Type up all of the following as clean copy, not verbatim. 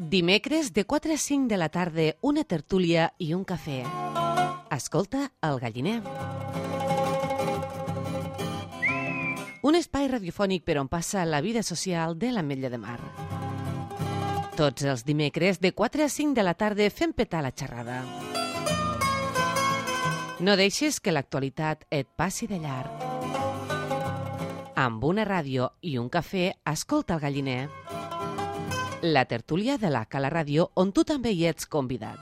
Dimecres de 4 a 5 de la tarda, una tertúlia i un cafè. Escolta El Galliner. Un espai radiofònic per on passa la vida social de l'Ametlla de Mar. Tots els dimecres de 4 a 5 de la tarda fem petar la xerrada. No deixes que l'actualitat et passi de llarg. Amb una ràdio i un cafè, escolta El Galliner. La tertúlia de la Cala Ràdio, on tu també hi ets convidat.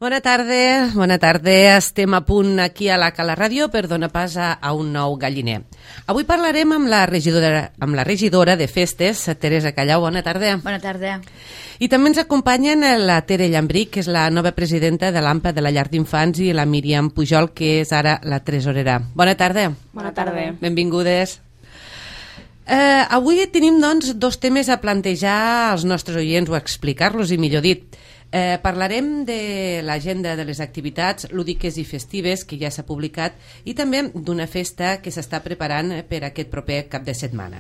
Bona tarda. Estem a punt aquí a la Cala Ràdio per donar pas a un nou galliner. Avui parlarem amb la regidora de festes, Teresa Callau. Bona tarda. Bona tarda. I també ens acompanyen la Tere Llambric, que és la nova presidenta de l'AMPA de la Llar d'Infants, i la Míriam Pujol, que és ara la tresorera. Bona tarda. Bona tarda. Benvingudes. Avui tenim, doncs, dos temes a plantejar als nostres oients o a explicar-los, i millor dit. Parlarem de l'agenda de les activitats lúdiques i festives que ja s'ha publicat i també d'una festa que s'està preparant per aquest proper cap de setmana.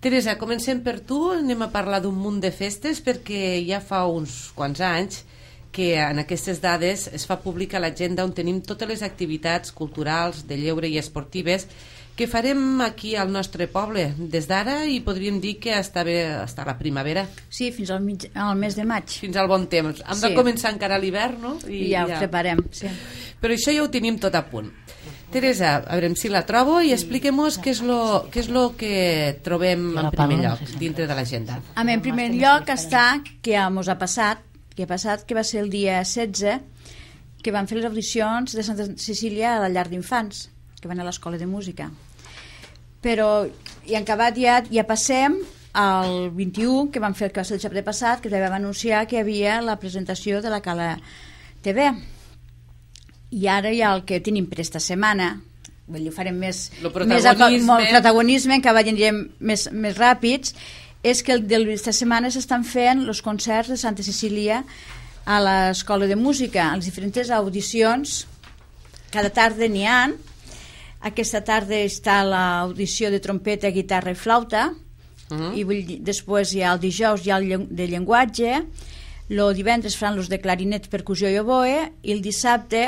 Teresa, comencem per tu. Anem a parlar d'un munt de festes perquè ja fa uns quants anys que en aquestes dades es fa pública l'agenda on tenim totes les activitats culturals, de lleure i esportives que farem aquí al nostre poble des d'ara, i podríem dir que està la primavera. Sí, fins al mes de maig. Fins al bon temps. Hem de començar encara l'hivern, no? I ja ho preparem, sí. Però això ja ho tenim tot a punt. Teresa, a veure si la trobo i expliquem-nos què és lo que trobem en primer lloc dintre de l'agenda. En primer lloc està que ens ha passat, que va ser el dia 16, que van fer les audicions de Santa Cecília a la Llar d'Infants, que van a l'escola de música. Però, i en acabat ja passem al 21, que vam fer el dissabte passat, que també vam anunciar que hi havia la presentació de la Cala TV. I ara ja el que tenim per esta setmana, ho farem més protagonisme, que anirem més ràpids, és que aquesta setmana s'estan fent els concerts de Santa Cecília a l'escola de música, a les diferents audicions. Cada tarda n'hi ha. Aquesta tarda està l'audició de trompeta, guitarra i flauta, i després hi ha el dijous hi ha el de llenguatge, el divendres faran els de clarinet, percussió i oboe, i el dissabte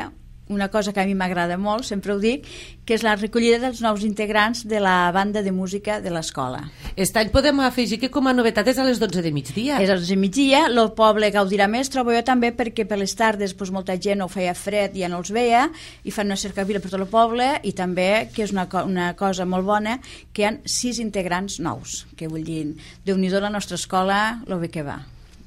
una cosa que a mi m'agrada molt, sempre ho dic, que és la recollida dels nous integrants de la banda de música de l'escola. Aquest any podem afegir que com a novetat és a les 12 de migdia. És a les 12 de migdia, el poble gaudirà més, trobo jo també, perquè per les tardes molta gent ho feia fred i ja no els veia, i fan una cercavila per tot el poble, i també, que és una cosa molt bona, que hi ha 6 integrants nous, que vull dir, Déu-n'hi-do la nostra escola, lo bé que va.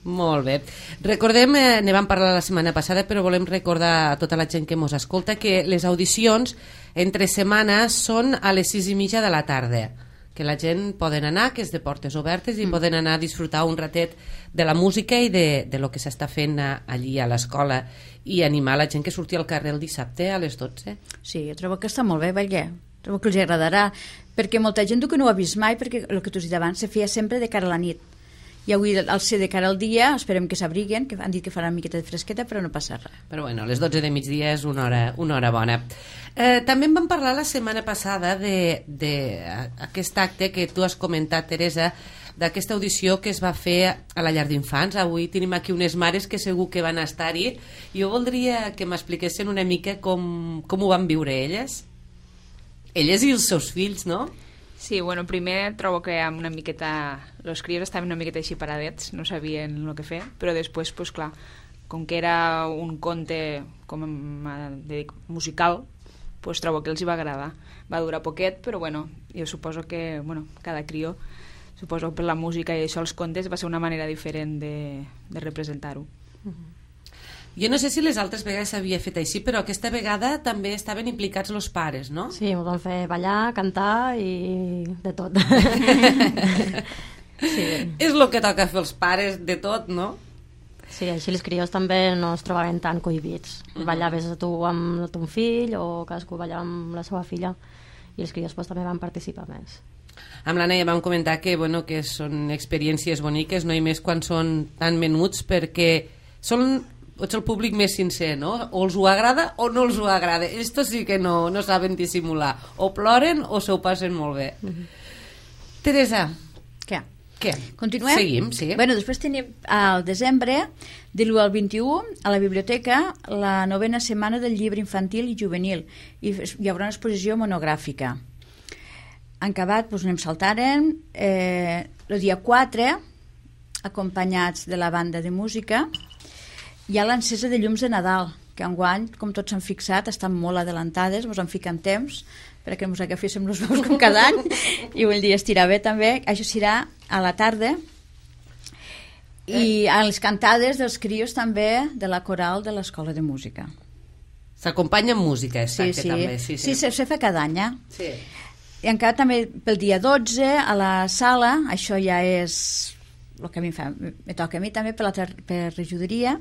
Molt bé. Recordem, ne vam parlar la setmana passada, però volem recordar a tota la gent que mos escolta que les audicions entre setmanes són a les 6:30 de la tarda, que la gent poden anar, que és de portes obertes, i poden anar a disfrutar un ratet de la música i de lo que s'està fent allí a l'escola, i animar la gent que surti al carrer el dissabte a les 12. Sí, jo trobo que està molt bé, perquè trobo que els agradarà, perquè molta gent que no ho ha vist mai, perquè el que t'ho he dit abans se feia sempre de cara a la nit. I avui, al ser de cara al dia, esperem que s'abriguen, que han dit que farà una miqueta de fresqueta, però no passa res. Però bueno, a les 12 de migdia és una hora bona. També en vam parlar la setmana passada d'aquest acte que tu has comentat, Teresa, d'aquesta audició que es va fer a la llar d'infants. Avui tenim aquí unes mares que segur que van estar-hi. Jo voldria que m'expliquessin una mica com ho van viure elles. Elles i els seus fills, no? Sí, bueno, primer trobo que amb una miqueta... Els crios estaven una miqueta així paradets, no sabien el que fer, però després, pues, clar, com que era un conte com dic, musical, pues, trobo que els hi va agradar. Va durar poquet, però bueno, jo suposo que cada crió, suposo per la música i això, els contes, va ser una manera diferent de representar-ho. Jo no sé si les altres vegades s'havia fet així, però aquesta vegada també estaven implicats els pares, no? Sí, ens van fer ballar, cantar i de tot. Sí. És el que toca fer els pares, de tot, no? Sí, així els crios també no es trobaven tan cohibits. Ballaves tu amb ton fill o cadascú ballava amb la seva filla, i els crios també van participar més. Amb l'Anna ja vam comentar que són experiències boniques, no? I més quan són tan menuts, perquè ets el públic més sincer, no? O els ho agrada o no els ho agrada. Estos sí que no saben dissimular. O ploren o s'ho passen molt bé. Teresa. Què? Continuem? Seguim, sí. Bueno, després tenim al desembre, de l'1 al 21, a la biblioteca, la 9ª setmana del llibre infantil i juvenil. I hi haurà una exposició monogràfica. En acabat, anem saltaren. El dia 4, acompanyats de la banda de música, hi ha l'encesa de llums de Nadal, que enguany, com tots s'han fixat, estan molt adelantades, ens en fiquen temps, perquè ens agaféssim els bous com cada any, i vull dir, estirar bé també. Això serà a la tarda, i a les cantades dels crios també de la coral de l'Escola de Música. S'acompanya amb música, exacte, també. Sí, se fa cada any, Sí. I encara també pel dia 12, a la sala, això ja és el que a mi me toca a mi també per regidoria,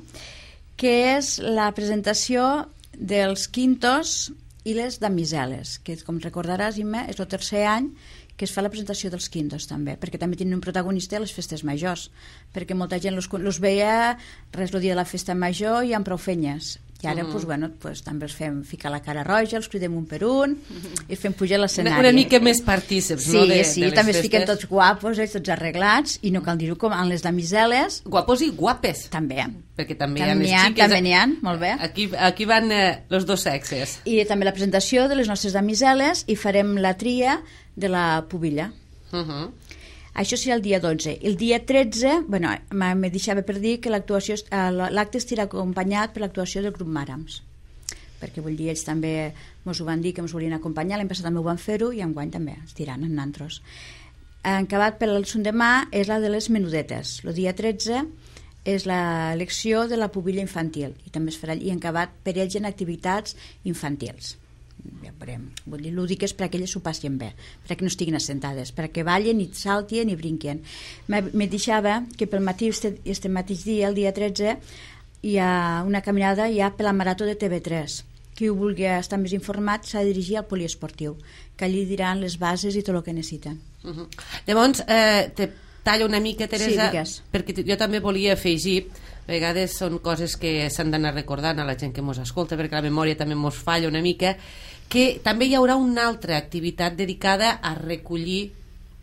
que és la presentació dels quintos i les damiseles, que com recordaràs, Imma, és el tercer any que es fa la presentació dels quintos també, perquè també tenen un protagonista a les festes majors, perquè molta gent los veia res el dia de la festa major i amb prou fenyes, i ara també els fem ficar la cara roja, els cridem un per un i els fem pujar a l'escenari. Una mica més partíceps, no? Sí, també es fiquen tots guapos, tots arreglats, i no cal dir-ho com en les damiseles. Guapos i guapes. També. Perquè també hi ha les xiques. També n'hi ha, molt bé. Aquí van els dos sexes. I també la presentació de les nostres damiseles, i farem la tria de la pubilla. Això serà el dia 12. El dia 13, me deixava per dir que l'acte estirà acompanyat per l'actuació del grup Màrams, perquè vull dir, ells també ens ho van dir que ens volien acompanyar, l'any passat també ho van fer-ho i enguany també estiran amb nantros. Acabat per el demà és la de les menudetes. El dia 13 és l'elecció de la pubilla infantil, i també es farà, i acabat per ells en activitats infantils. Ja veurem. Vull dir, l'údic és perquè elles s'ho passin bé, perquè no estiguin assentades, perquè ballen i saltien i brinquen. Me deixava que pel matí, este mateix dia, el dia 13, hi ha una caminada per la marató de TV3. Qui vulgui estar més informat s'ha de dirigir al poliesportiu, que allí diran les bases i tot el que necessiten. Llavors, te tallo una mica, Teresa, perquè jo també volia afegir, a vegades són coses que s'han d'anar recordant a la gent que mos escolta, perquè la memòria també mos falla una mica, que també hi haurà una altra activitat dedicada a recollir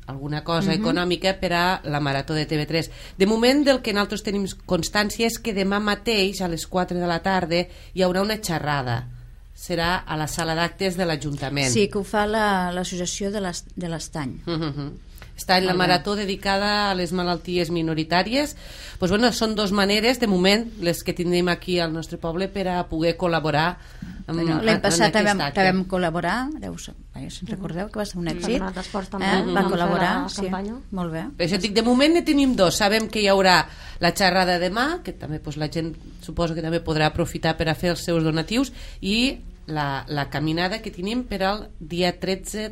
alguna cosa econòmica per a la marató de TV3. De moment, del que nosaltres tenim constància és que demà mateix, a les 4 de la tarda, hi haurà una xerrada serà a la sala d'actes de l'Ajuntament. Sí, que ho fa l'associació de l'Estany. Està en la marató dedicada a les malalties minoritàries. Pues bueno, són dues maneres, de moment, les que tindrem aquí al nostre poble per a poder col·laborar l'any passat també vam col·laborar, si recordeu que va ser un èxit, va col·laborar, sí, molt bé. Per això dic, de moment ne tenim dos. Sabem que hi haurà la xerrada demà, que també la gent suposo que també podrà aprofitar per a fer els seus donatius, i la caminada que tenim per al dia 13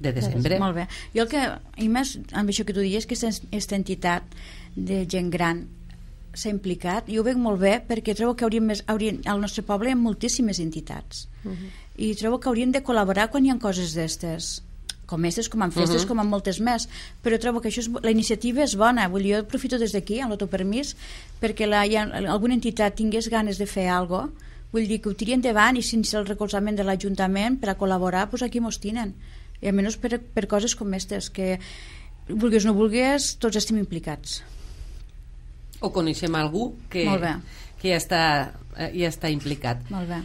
de desembre. Molt bé. Jo el que, i més amb això que tu dius, que aquesta entitat de gent gran s'ha implicat, i ho veig molt bé perquè trobo que al nostre poble hi ha moltíssimes entitats i trobo que haurien de col·laborar quan hi ha coses d'estes, com en festes, com en moltes més, però trobo que la iniciativa és bona. Vull dir, jo aprofito des d'aquí, amb l'autopermís, perquè alguna entitat tingués ganes de fer alguna cosa, vull dir que ho tiri endavant, i sense el recolzament de l'Ajuntament per a col·laborar, doncs aquí mos tinen, i almenys per coses com aquestes, que vulguis o no vulguis, tots estem implicats. O coneixem algú que ja està implicat. Molt bé.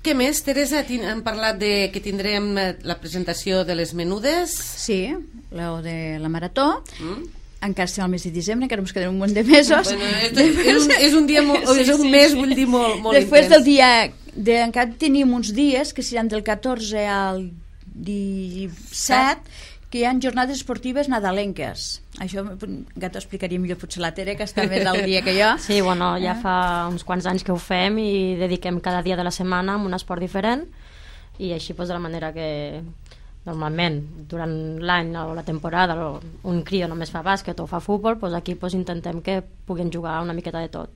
Què més, Teresa? Hem parlat que tindrem la presentació de les menudes. Sí, la de la marató. Encara estem al mes de desembre, encara ens queden un munt de mesos. Bueno, és un dia és un mes, vull dir, molt intens. Després del dia encara tenim uns dies que seran del 14 al 17, que hi ha jornades esportives nadalenques. Això ja t'ho explicaria millor potser la Tere, que està més al dia que jo. Sí, bueno, ja fa uns quants anys que ho fem i dediquem cada dia de la setmana a un esport diferent, i així de la manera que normalment durant l'any o la temporada un crio només fa bàsquet o fa futbol, aquí intentem que puguin jugar una miqueta de tot.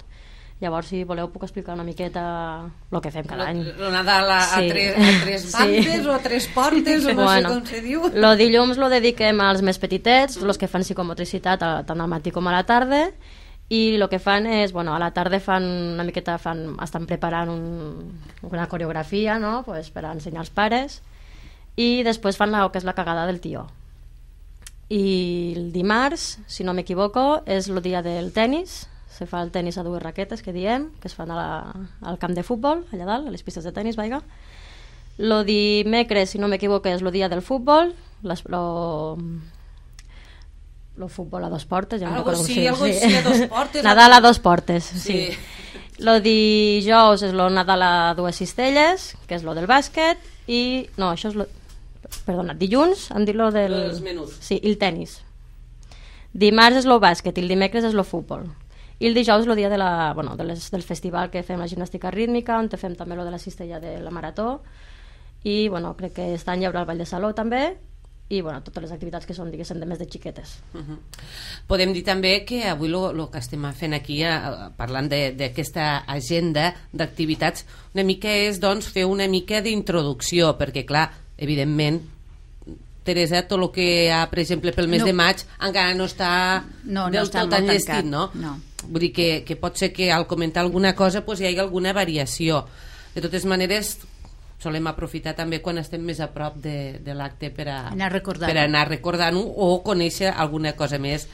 Llavors, si voleu, puc explicar una miqueta el que fem cada any. El Nadal a tres bandes o a tres portes, o no sé com se diu. El dilluns lo dediquem als més petitets, els que fan psicomotricitat tant al matí com a la tarda, i el que fan és, a la tarda fan una miqueta, estan preparant una coreografia, no?, per a ensenyar als pares, i després fan el que és la cagada del tió. I el dimarts, si no m'equivoco, és el dia del tennis. Se fa el tennis a dues raquetes, que diem, que es fan al camp de futbol, allà dalt, a les pistes de tennis, vaiga. El dimecres, si no m'equivoco, és el dia del futbol, el futbol a dos portes. Algo sí, a dos portes. Nadal a dos portes, sí. El dijous és el Nadal a dues cistelles, que és el del bàsquet, i... No, això és... Perdona, dilluns em dic el del... Els menús. Sí, i el tennis. Dimarts és el bàsquet i el dimecres és el futbol. I el dijous és el dia del festival que fem la gimnàstica rítmica, on fem també el de la cistella de la marató, i crec que aquest any hi haurà el ball de saló també, i totes les activitats que són, diguéssim, de més de xiquetes. Podem dir també que avui el que estem fent aquí, parlant d'aquesta agenda d'activitats, una mica és fer una mica d'introducció, perquè clar, evidentment, Teresa, tot el que hi ha, per exemple, pel mes de maig encara no està del tot enllestit, no? Vull dir que pot ser que al comentar alguna cosa hi hagi alguna variació. De totes maneres, solem aprofitar també quan estem més a prop de l'acte per anar recordant-ho o conèixer alguna cosa més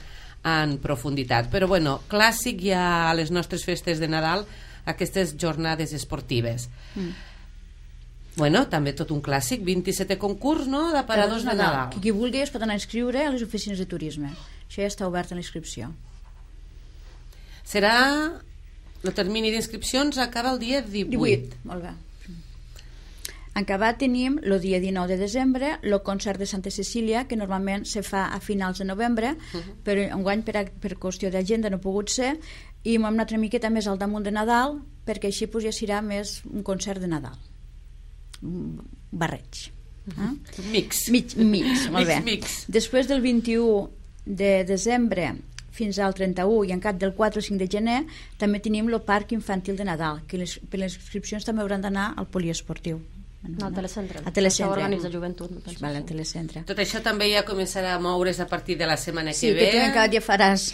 en profunditat. Però bueno, clàssic ja a les nostres festes de Nadal, aquestes jornades esportives. Bueno, també tot un clàssic, 27 concurs, no?, d'aparadors de Nadal. Qui vulgui es pot anar a inscriure a les oficines de turisme. Això ja està obert a la inscripció. El termini d'inscripcions acaba el dia 18. Molt bé. En acabat tenim el dia 19 de desembre el concert de Santa Cecília, que normalment se fa a finals de novembre, però enguany per qüestió d'agenda no ha pogut ser, i hem anat una miqueta més al damunt de Nadal, perquè així ja serà més un concert de Nadal. Barreig. Mix, molt bé. Després del 21 de desembre fins al 31 i en cap del 4 o 5 de gener també tenim el parc infantil de Nadal, que per les inscripcions també hauran d'anar al poliesportiu. Al telecentre. A telecentre. Això organitza joventut. Al telecentre. Tot això també ja començarà a moure's a partir de la setmana que ve. Sí, que tu encara ja faràs.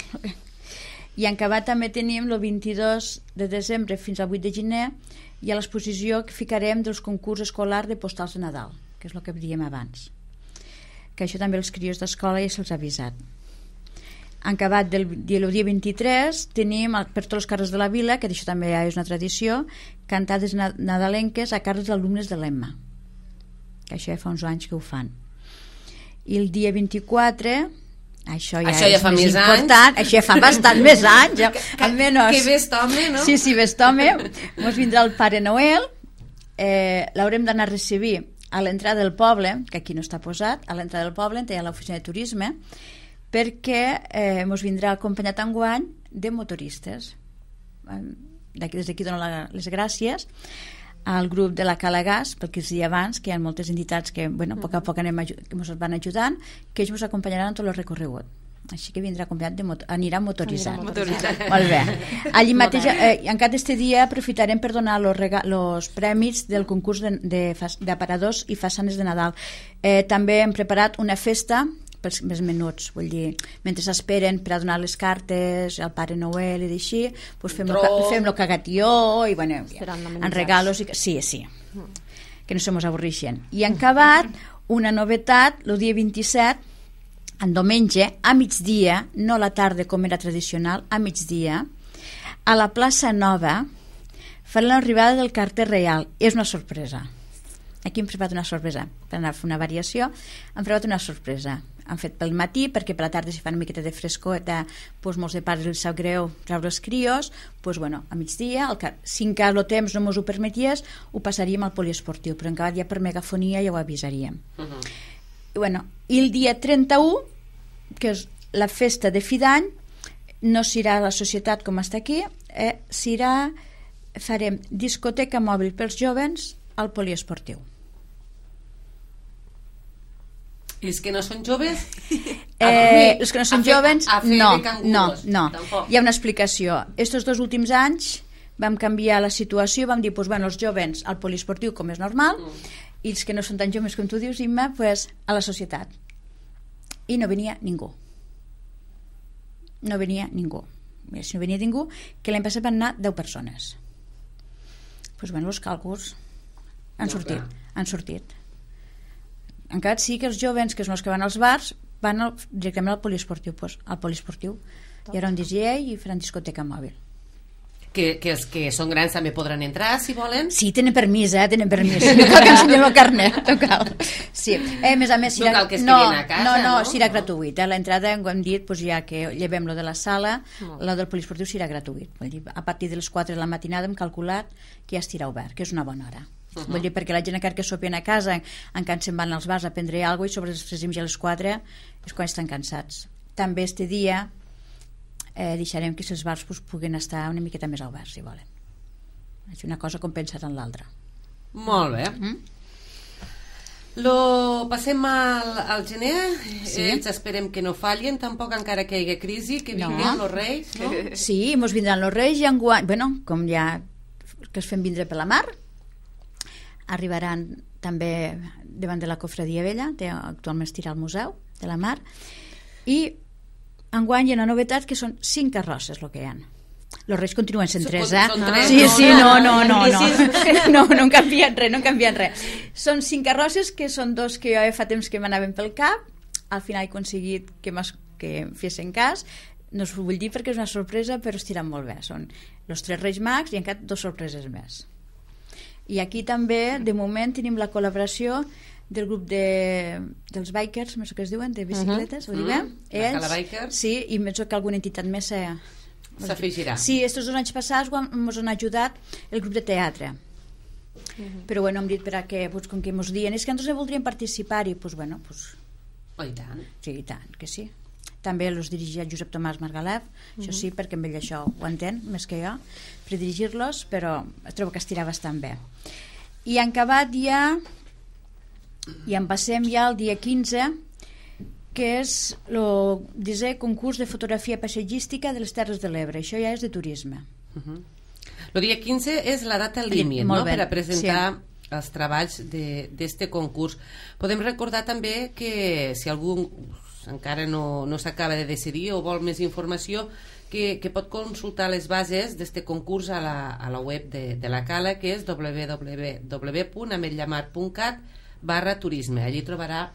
I en acabat també tenim el 22 de desembre fins al 8 de gener i a l'exposició que ficarem dels concurs escolars de postals de Nadal, que és el que diem abans, que això també els crios d'escola ja se'ls ha avisat. acabat el dia 23, tenim per tots els carrers de la vila, que això també ja és una tradició, cantades nadalenques a càrrecs d'alumnes de l'EMMA, que això ja fa uns anys que ho fan. I el dia 24, això ja fa més important, anys. Això ja fa bastant més anys, almenys. Que vest home, no? Sí, vest home. Ens vindrà el Pare Noel, l'haurem d'anar a recibir a l'entrada del poble, que aquí no està posat, a l'entrada del poble, on hi ha l'oficina de turisme, perquè ens vindrà acompanyat enguany de motoristes. Des d'aquí dono les gràcies al grup de la Cala Gas, perquè els dies abans, que hi ha moltes entitats que, a poc a poc ens van ajudant, que ells ens acompanyaran en tot el recorregut. Així que vindrà acompanyat anirà motoritzat. Molt bé. Allí mateix, encara aquest dia aprofitarem per donar els premis del concurs d'aparadors i façanes de Nadal. També hem preparat una festa pels més menuts, vull dir, mentre s'esperen per a donar les cartes al Pare Noel i d'així, doncs fem lo cagatió i en regalos sí, que no se mos avorreixen. I han acabat una novetat el dia 27, en diumenge, a migdia, no a la tarda com era tradicional, a migdia, a la plaça Nova faran l'arribada del carter reial. És una sorpresa. Aquí hem preparat una sorpresa. Per anar a fer una variació, hem preparat una sorpresa. Han fet pel matí, perquè per la tarda si fan una miqueta de frescota, molts de pares els sap greu treure els crios, a migdia, si encara el temps no ens ho permeties, ho passaríem al poliesportiu, però encara ja per megafonia ja ho avisaríem. I el dia 31, que és la festa de fi d'any, no serà a la societat com està aquí, farem discoteca mòbil pels joves al poliesportiu. I els que no són joves? Els que no són joves, no. Hi ha una explicació. Estos 2 últims anys vam canviar la situació, vam dir, els joves al poliesportiu com és normal, i els que no són tan joves com tu dius, Imma, a la societat. I no venia ningú. Si no venia ningú, que l'any passat van anar 10 persones. Els càlculs han sortit. Encara sí que els joves, que són els que van als bars, van directament al poliesportiu. Al poliesportiu hi haurà un DJ i faran discoteca mòbil. Que els que són grans també podran entrar, si volen? Sí, tenen permís. No cal que ensenyem el carnet. No cal. Sí. A més, no cal que es quedin a casa, no, serà gratuït. L'entrada, ho hem dit, ja que llevem lo de la sala, lo del poliesportiu serà gratuït. A partir de les 4 de la matinada hem calculat que ja estirà obert, que és una bona hora. Vull dir, perquè la gent encara que sopien a casa encara se'n van als bars a prendre alguna cosa i sobre les 3 i a les 4 és quan estan cansats. També este dia deixarem que els bars puguin estar una miqueta més oberts, si volen. És una cosa compensada en l'altra. Molt bé. Passem al gener. Ells esperem que no fallin tampoc, encara que hi hagi crisi, que vinguin els reis, no? Sí, ens vindran els reis i enguany, com ja que es fem vindre per la mar, arribaran també davant de la Cofradia Vella, actualment estirà al Museu de la Mar, i enguany hi ha una novetat que són 5 carrosses el que hi ha. Els reis continuen sent 3, no en canvien res. Són 5 carrosses, que són 2 que jo fa temps que m'anaven pel cap, al final he aconseguit que em fessin cas, no us ho vull dir perquè és una sorpresa, però estiran molt bé. Són els 3 reis mags i encara 2 sorpreses més. I aquí també, de moment, tenim la col·laboració del grup dels bikers, més que es diuen, de bicicletes, ho diguem? La Cala Bikers. Sí, i penso que alguna entitat més s'afegirà. Sí, estos 2 anys passats ens han ajudat el grup de teatre. Però hem dit que, com que ens diuen, és que nosaltres voldríem participar-hi, Oh, i tant. Sí, i tant, que sí. També els dirigia Josep Tomàs Margalef, això sí, perquè amb ell això ho entén més que jo, per dirigir-los, però trobo que estirà bastant bé. I han acabat ja, i en passem ja al dia 15, que és el 10è concurs de fotografia paisatgística de les Terres de l'Ebre. Això ja és de turisme. El dia 15 és la data límit, no?, per a presentar els treballs d'este concurs. Podem recordar també que si algú encara no s'acaba de decidir o vol més informació, que pot consultar les bases d'este concurs a la web de la Cala, que és www.ametllamar.cat/turisme. Allí trobarà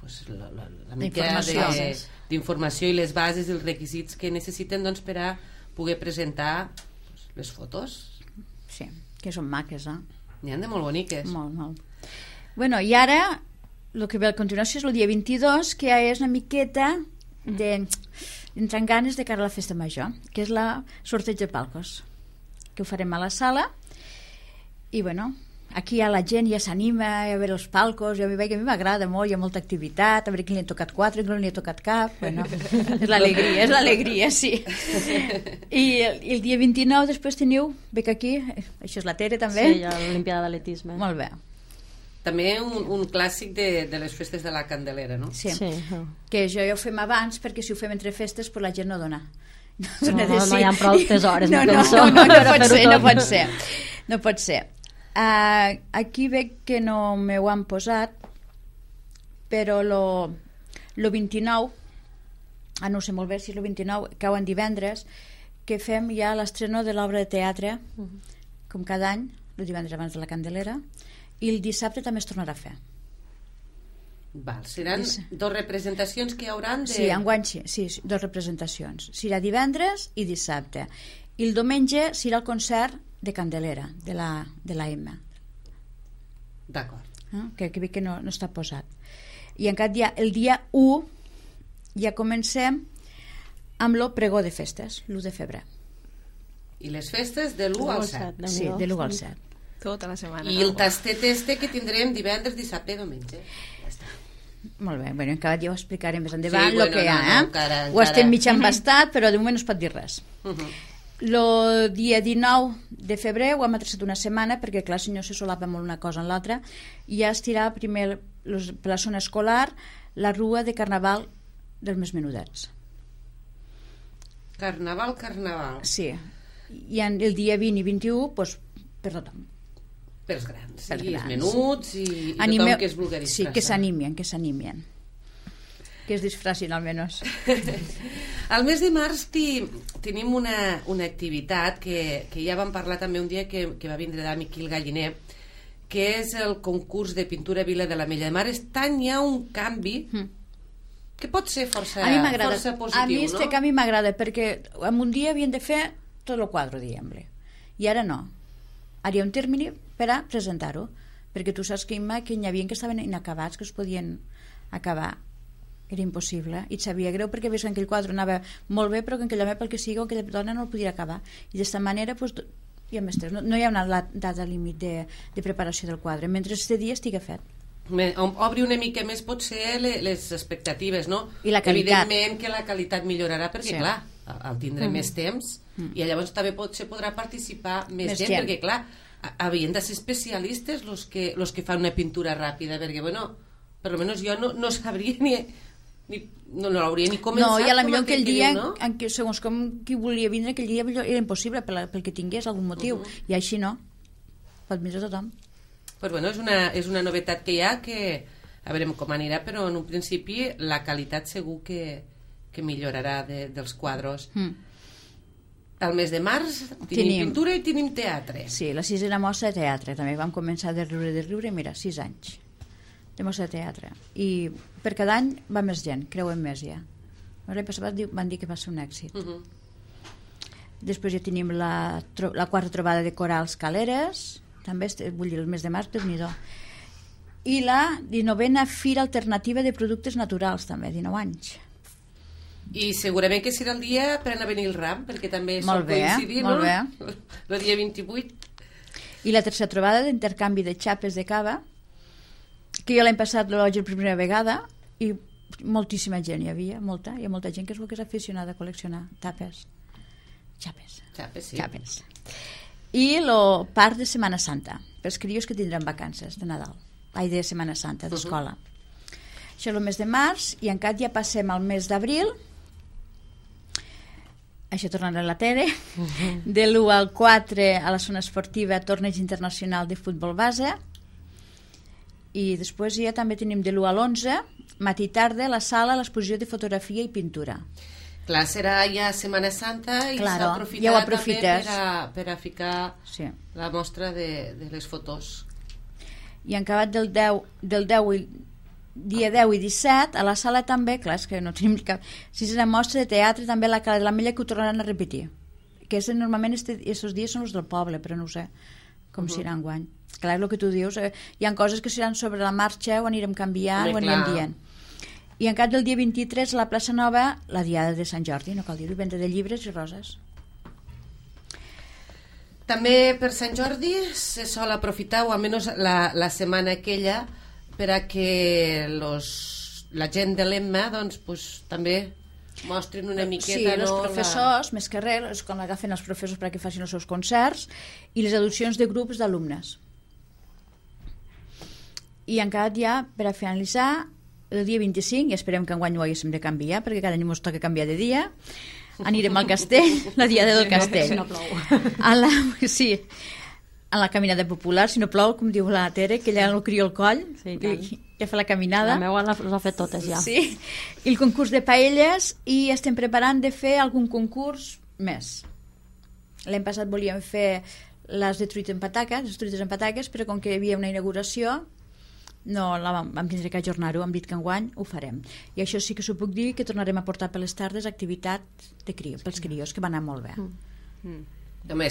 pues, la mica d'informació i les bases i els requisits que necessiten doncs, per a poder presentar pues, les fotos. Sí, que són maques, N'hi ha de molt boniques. Molt, molt. Bueno, i ara el que ve a continuació és el dia 22, que ja és una miqueta d'entrar en ganes de cara a la festa major, que és la sorteig de palcos, que ho farem a la sala. I bueno, aquí ja la gent ja s'anima a veure els palcos. Jo veig que a mi m'agrada molt, hi ha molta activitat, a veure qui li han tocat 4, qui no li ha tocat cap. Bueno, és l'alegria, sí. I el dia 29 després teniu, veig aquí, això és la Tere també. Sí, l'Olimpiada d'Atletisme. Molt bé. També un clàssic de les festes de la Candelera, no? Sí. Sí. Que jo ja ho fem abans, perquè si ho fem entre festes pues la gent no dona. No hi ha prou tesores, no pot ser. Aquí veig que no m'ho han posat, però lo 29, no sé molt bé si és el 29, cau en divendres, que fem ja l'estreno de l'obra de teatre, com cada any, el divendres abans de la Candelera, i el dissabte també es tornarà a fer. Val, seran dos representacions que hi hauran de... Sí, enguany sí, dos representacions. Serà divendres i dissabte. I el diumenge serà el concert de Candelera, de la M. D'acord. Que veig que no està posat. I en canvi el dia 1 ja comencem amb el pregó de festes, l'1 de febrer. I les festes de l'1 al 7. Sí, de l'1 al 7. Tota la setmana. I el tastet que tindrem divendres, dissabte i diumenge. Ja està. Molt bé, bueno, encara ja ho explicaré més endavant, sí, el que hi ha. encara. Ho estem mig embastat, però de moment no es pot dir res. El dia 19 de febrer ho hem atrasat una setmana, perquè clar, si no se solapa molt una cosa en l'altra, i ja es tirà primer per la zona escolar la rua de Carnaval dels més menudets. Carnaval. Sí. I el dia 20 i 21, doncs, per tothom. Pels grans, els menuts i tothom que es vulgui disfraçar. Sí, que s'animen. Que es disfracin almenys. Al mes de març tenim una activitat que ja vam parlar també un dia que va vindre d'Amiquil Galliner, que és el concurs de pintura Vila de l'Ametlla de Mar. Estan hi ha un canvi que pot ser força positiu, a mi no? canvi m'agrada, perquè en un dia havien de fer tot el quadre, diguem-ne. I ara no. Ara hi ha un termini per a presentar-ho, perquè tu saps que n'hi havia que estaven inacabats, que es podien acabar. Era impossible, i et sabia greu perquè veus que aquell quadre anava molt bé, però que aquell home, pel que sigui, aquella dona no el podia acabar. I d'aquesta manera no hi ha una data límit de preparació del quadre, mentre aquest dia estigui fet. Obri una mica més potser les expectatives, no? I la qualitat. Evidentment que la qualitat millorarà perquè, clar, al tindre més temps i llavors també potser podrà participar més gent, perquè, clar, havien de ser especialistes los que fan una pintura ràpida, perquè, bueno, per almenys jo no sabria no l'hauria ni començat. No, i a la millor aquell dia, segons com qui volia vindre, aquell dia era impossible pel que tingués algun motiu, i així no. Pot vindre tothom. Pues bueno, és una novetat que hi ha, que a veure com anirà, però en un principi la qualitat segur que millorarà dels quadros. Al mes de març tenim pintura i tenim teatre. Sí, la 6a mostra de teatre. També vam començar de riure, mira, 6 anys de mostra de teatre. I per cada any va més gent, creuen més ja. L'any passat van dir que va ser un èxit. Després ja tenim la 4a trobada de corals Caleres, també, vull dir, el mes de març, déu-n'hi-do. I la 19a Fira Alternativa de Productes Naturals, també, 19 anys. I segurament que serà el dia per anar a venir el ram, perquè també sol coincidir, no? Molt bé. El dia 28. I la 3a trobada d'intercanvi de xapes de cava, que jo l'any passat l'ho vaig la primera vegada, i moltíssima gent hi havia, hi ha molta gent que és aficionada a col·leccionar xapes, sí. Xapes. I el parc de Setmana Santa, pels crios que tindran vacances de Nadal, de Setmana Santa, d'escola. Això és el mes de març, i encara ja passem al mes d'abril. Això tornarà a la Tere. De l'1 al 4 a la zona esportiva, torneig internacional de futbol base. I després ja també tenim de l'1 a l'11, matí i tarda, a la sala, l'exposició de fotografia i pintura. Clar, serà ja Setmana Santa i s'aprofitarà també per a ficar la mostra de les fotos. I en acabat del 10 dia 10 i 17, a la sala també, clar, és que no tenim cap... Sisena mostra de teatre, també a la Cala de l'Ametlla, que ho tornaran a repetir. Que normalment aquests dies són els del poble, però no ho sé com serà enguany. Clar, és el que tu dius, hi ha coses que seran sobre la marxa, ho anirem canviant, ho anirem dient. I en cap del dia 23 a la plaça Nova, la Diada de Sant Jordi, no cal dir-ho, venda de llibres i roses. També per Sant Jordi se sol aprofitar, o almenys la setmana aquella, per a que la gent de l'EMMA també mostrin una miqueta... Sí, els professors, més que res, és quan agafen els professors perquè facin els seus concerts, i les adopcions de grups d'alumnes. I encara ja, per a finalitzar, el dia 25, i esperem que enguany ho haguéssim de canviar, perquè cada any ens toca canviar de dia, anirem al castell, la Diada del Castell. Si no plou. Sí, a la caminada popular, si no plou, com diu la Tere, que ella no crio el coll, sí, ja fa la caminada. La meva les ha fet totes ja. Sí, i el concurs de paelles, i estem preparant de fer algun concurs més. L'any passat volíem fer les de truites en pataques, però com que hi havia una inauguració, no, vam tindre que ajornar-ho, hem dit que enguany ho farem. I això sí que s'ho puc dir, que tornarem a portar per les tardes activitat de pels crios, que va anar molt bé. Home,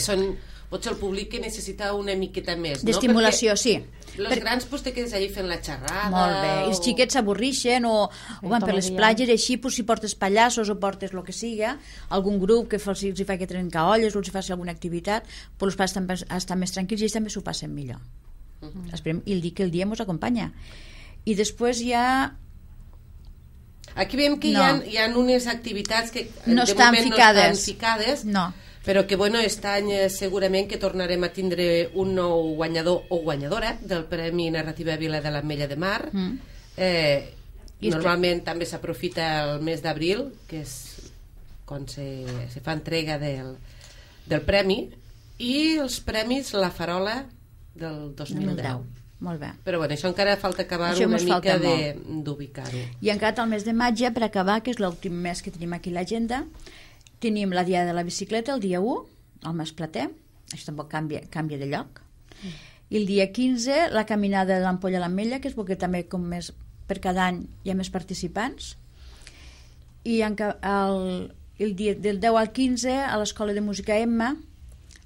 potser el públic que necessita una miqueta més, no? D'estimulació, sí. Els grans te quedes allí fent la xerrada... Molt bé, i els xiquets s'avorrixen o van per les platges, així, si portes pallassos o portes el que siga, algun grup que els hi fa que trencar olles o els hi faci alguna activitat, però els pares estan més tranquils i ells també s'ho passen millor. Esperem, i que el dia ens acompanya. I després hi ha... Aquí veiem que hi ha unes activitats que no de estan moment ficades. no estan ficades, no. Però que aquest any segurament que tornarem a tindre un nou guanyador o guanyadora del Premi Narrativa Vila de l'Ametlla de Mar. Normalment també s'aprofita el mes d'abril, que és quan se fa entrega del premi, i els premis La Farola del 2010. Molt bé. Però això encara falta acabar una mica d'ubicar-ho. I encara el mes de maig, per acabar, que és l'últim mes que tenim aquí a l'agenda, tenim la Diada de la Bicicleta el dia 1, al Mas Plater, això tampoc canvia de lloc, i el dia 15 la caminada de l'Ampolla a l'Ametlla, que és perquè també com més per cada any hi ha més participants, i el dia del 10 al 15 a l'Escola de Música Emma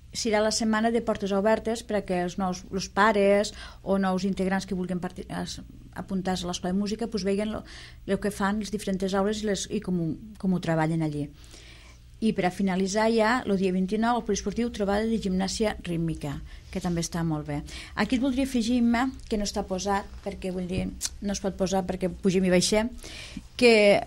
serà la setmana de portes obertes perquè els pares o nous integrants que vulguin apuntar-se a l'Escola de Música vegin el que fan les diferents aules i com ho treballen allí. I per a finalitzar ja, el dia 29, el poliesportiu trobada de gimnàsia rítmica, que també està molt bé. Aquí et voldria afegir, que no està posat, perquè vull dir, no es pot posar perquè pugem i baixem, que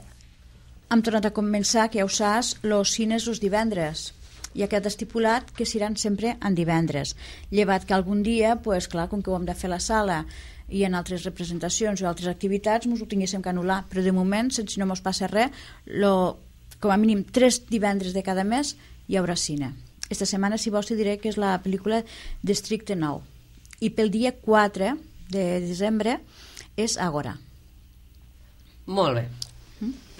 hem tornat a començar, que ja ho saps, els cines els divendres. I ha quedat estipulat que seran sempre en divendres. Llevat que algun dia, clar, com que ho hem de fer a la sala i en altres representacions o altres activitats, ens ho tinguéssim que anul·lar. Però de moment, si no ens passa res, com a mínim 3 divendres de cada mes hi haurà cine. Esta setmana, si vols, te diré que és la pel·lícula Districte 9. I pel dia 4 de desembre és Agora. Molt bé.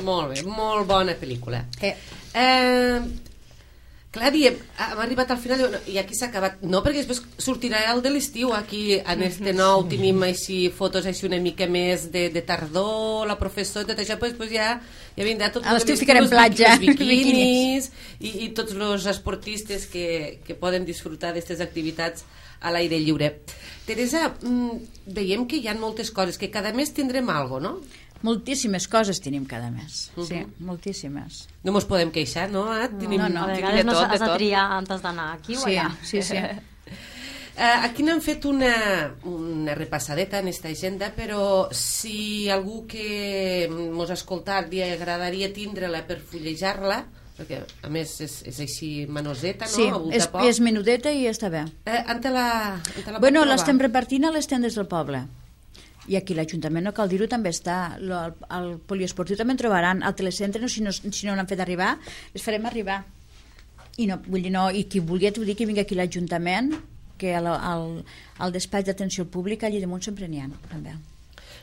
Molt bé, molt bona pel·lícula. Clar, diem, hem arribat al final i aquí s'ha acabat. No, perquè després sortirà el de l'estiu. Aquí, en este nou, tenim així fotos així una mica més de tardor, la professora, tot això, després ja vindrà tot a l'estiu ficarem platja, biquinis i tots els esportistes que poden disfrutar d'aquestes activitats a l'aire lliure. Teresa, veiem que hi ha moltes coses, que cada mes tindrem alguna cosa, no? Moltíssimes coses tenim cada mes, sí, moltíssimes. No ens podem queixar, no? A vegades no has de triar antes d'anar aquí o allà. Sí. Aquí n'hem fet una repassadeta en esta agenda, però si algú que mos ha escoltat li agradaria tindre-la per fullejar-la, perquè a més és així manoseta, no? Sí, és menudeta i està bé. On te la Bueno, l'estem repartint a les tendes del poble. I aquí l'Ajuntament, no cal dir-ho, també està. El poliesportiu també en trobaran. Al telecentre, si no n'han fet arribar, les farem arribar. I qui vulgui, t'ho dic, que vingui aquí l'Ajuntament, que al despatx d'atenció al públic allí damunt sempre n'hi ha, també.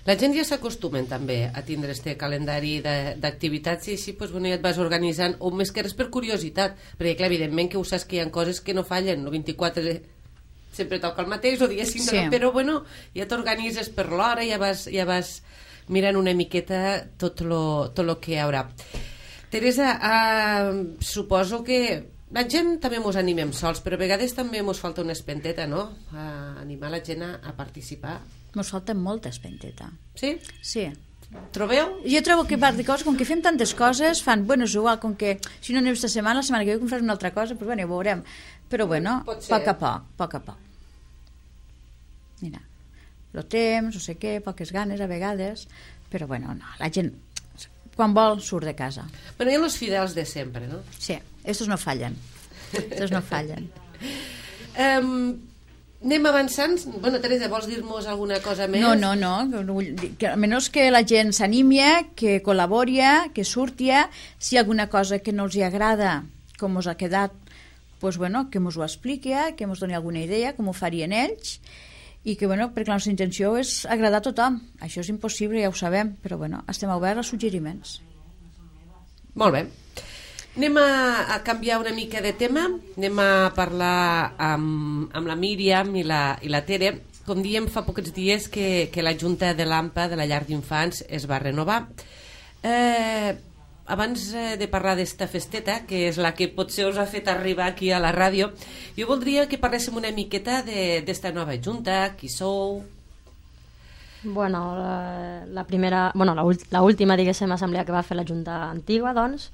La gent ja s'acostumen també a tindre este calendari d'activitats i així ja et vas organitzant, o més que res per curiositat, perquè clar, evidentment que ho saps que hi ha coses que no fallen, el 24 sempre toca el mateix, el dia 5, però ja t'organitzes per l'hora, ja vas mirant una miqueta tot lo que hi haurà. Teresa, suposo que la gent també mos animem sols, però a vegades també mos falta una espenteta, no? A animar la gent a participar. Mos falta molta espenteta. Sí? Sí. Trobeu? Jo trobo que part de coses, com que fem tantes coses, fan, bueno, és igual, com que si no anem esta setmana, la setmana que ve com farem una altra cosa, doncs bueno, ho veurem. Però bueno, a poc a poc. Mira, el temps, no sé què, poques ganes a vegades, però bueno, no, la gent quan vol surt de casa. Bueno, hi ha els fidels de sempre, no? Sí, estos no fallen. Estos no fallen. Anem avançant. Bueno, Teresa, vols dir-nos alguna cosa més? No. Que, almenys que la gent s'animia, que col·laboria, que surtia. Si hi ha alguna cosa que no els hi agrada, com us ha quedat, pues bueno, que mos ho expliqui, que mos doni alguna idea, com ho farien ells, i que, bueno, perquè la nostra intenció és agradar a tothom. Això és impossible, ja ho sabem, però bueno, estem oberts a suggeriments. Molt bé. Anem a canviar una mica de tema, anem a parlar amb la Míriam i la Tere. Com diem, fa pocs dies que la Junta de l'AMPA, de la llar d'infants, es va renovar. Abans de parlar d'esta festeta, que és la que potser us ha fet arribar aquí a la ràdio, jo voldria que parléssim una miqueta d'esta nova Junta, qui sou... Bueno, l'última, diguéssim, assemblea que va fer la Junta antigua, doncs,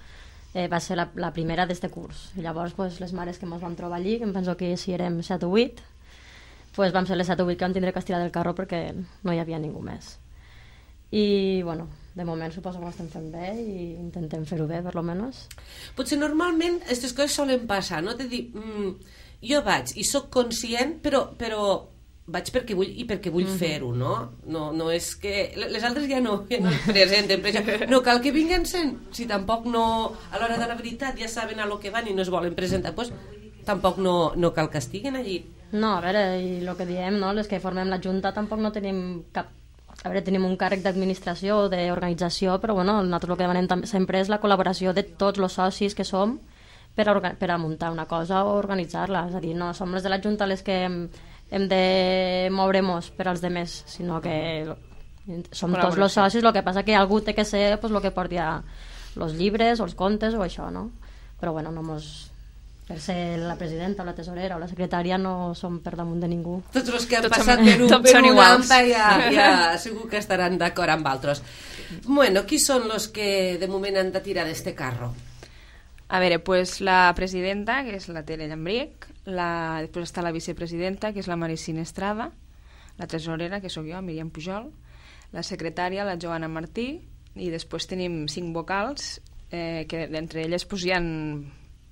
va ser la primera d'este curs. I llavors, pues, les mares que ens vam trobar allí, que em penso que si érem 7 o 8, pues vam ser les 7 o 8 que vam tindre que estirar del carro perquè no hi havia ningú més. I, bueno, de moment suposo que ho estem fent bé i intentem fer-ho bé, per lo menos. Potser normalment aquestes coses solen passar, no? De dir, jo vaig i sóc conscient, però vaig perquè vull i perquè vull fer-ho, no? No és que... Les altres ja no presenten, no cal que vinguen si tampoc no... A l'hora de la veritat ja saben a lo que van i no es volen presentar, doncs tampoc no cal que estiguin allí. No, a veure, i el que diem, no? Les que formem la Junta tampoc no tenim cap... A veure, tenim un càrrec d'administració o d'organització, però bueno, nosaltres el que demanem sempre és la col·laboració de tots els socis que som per a muntar una cosa o organitzar-la. És a dir, no som les de la Junta les que hem de moure-nos per als demés, sinó que som tots els socis, el que passa que algú té que ser el que porti els llibres o els contes o això, no? Però bueno, no mos... Per ser la presidenta o la tesorera o la secretària no som per damunt de ningú. Tots els que han passat per una AMPA ja segur que estaran d'acord amb altres. Bueno, qui són els que de moment han de tirar d'este carro? A veure, pues la presidenta, que és la Tere Llambric, després està la vicepresidenta, que és la Maricina Estrada, la tesorera, que sóc jo, Míriam Pujol, la secretària, la Joana Martí, i després tenim 5 vocals, que d'entre elles pues, hi ha